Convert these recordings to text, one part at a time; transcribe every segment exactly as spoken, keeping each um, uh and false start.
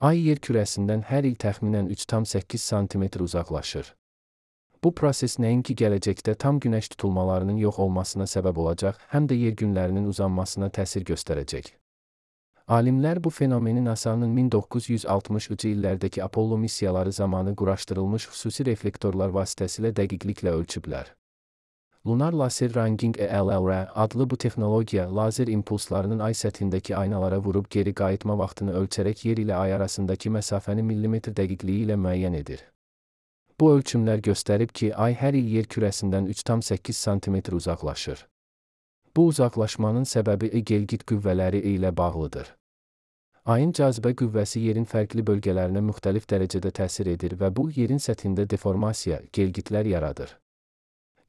Ay yer kürəsindən hər il təxminən üç tam səkkiz santimetr uzaqlaşır. Bu proses nəinki gələcəkdə tam günəş tutulmalarının yox olmasına səbəb olacaq, həm də yer günlərinin uzanmasına təsir göstərəcək. Alimlər bu fenomeni NASA'nın min doqquz yüz altmışıncı illərdəki Apollo missiyaları zamanı quraşdırılmış xüsusi reflektorlar vasitəsilə dəqiqliklə ölçüblər. Lunar Laser Ranging E L L R adlı bu texnologiya lazer impulslarının ay səthindəki aynalara vurub geri qayıtma vaxtını ölçərək yer ilə ay arasındakı məsafəni millimetr dəqiqliyi ilə müəyyən edir. Bu ölçümlər göstərib ki, ay hər il yer kürəsindən üç tam səkkiz santimetr uzaqlaşır. Bu uzaqlaşmanın səbəbi gelgit qüvvələri ilə bağlıdır. Ayın cazibə qüvvəsi yerin fərqli bölgələrinə müxtəlif dərəcədə təsir edir və bu, yerin səthində deformasiya, gelgitlər yaradır.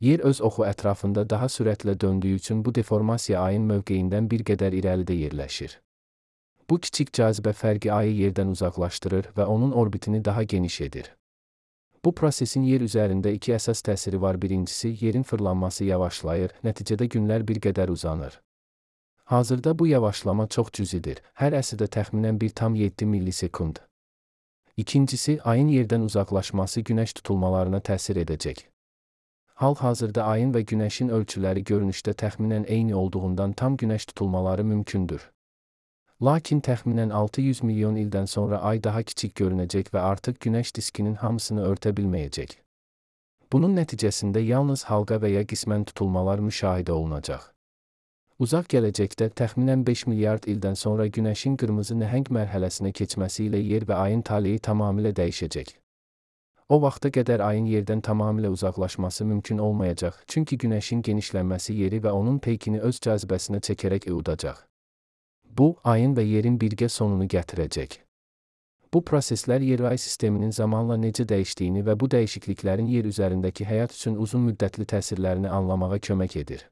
Yer öz oxu ətrafında daha sürətlə döndüyü üçün bu deformasiya ayın mövqeyindən bir qədər irəlidə yerləşir. Bu kiçik cazibə fərqi ayı yerdən uzaqlaşdırır və onun orbitini daha geniş edir. Bu prosesin yer üzərində iki əsas təsiri var. Birincisi, yerin fırlanması yavaşlayır, nəticədə günlər bir qədər uzanır. Hazırda bu yavaşlama çox cüzidir, hər əsrdə təxminən bir tam yeddi millisekund. İkincisi, ayın yerdən uzaqlaşması günəş tutulmalarına təsir edəcək. Hal-hazırda ayın və günəşin ölçüləri görünüşdə təxminən eyni olduğundan tam günəş tutulmaları mümkündür. Lakin təxminən altı yüz milyon ildən sonra ay daha kiçik görünəcək və artıq günəş diskinin hamısını örtə bilməyəcək. Bunun nəticəsində yalnız halqa və ya qismən tutulmalar müşahidə olunacaq. Uzaq gələcəkdə təxminən beş milyard ildən sonra günəşin qırmızı nəhəng mərhələsinə keçməsi ilə yer və ayın taleyi tamamilə dəyişəcək. O vaxta qədər ayın yerdən tamamilə uzaqlaşması mümkün olmayacaq, çünki günəşin genişlənməsi yeri və onun peykini öz cazibəsinə çəkərək udacaq. Bu, ayın və yerin birgə sonunu gətirəcək. Bu proseslər yer-ay sisteminin zamanla necə dəyişdiyini və bu dəyişikliklərin yer üzərindəki həyat üçün uzun müddətli təsirlərini anlamağa kömək edir.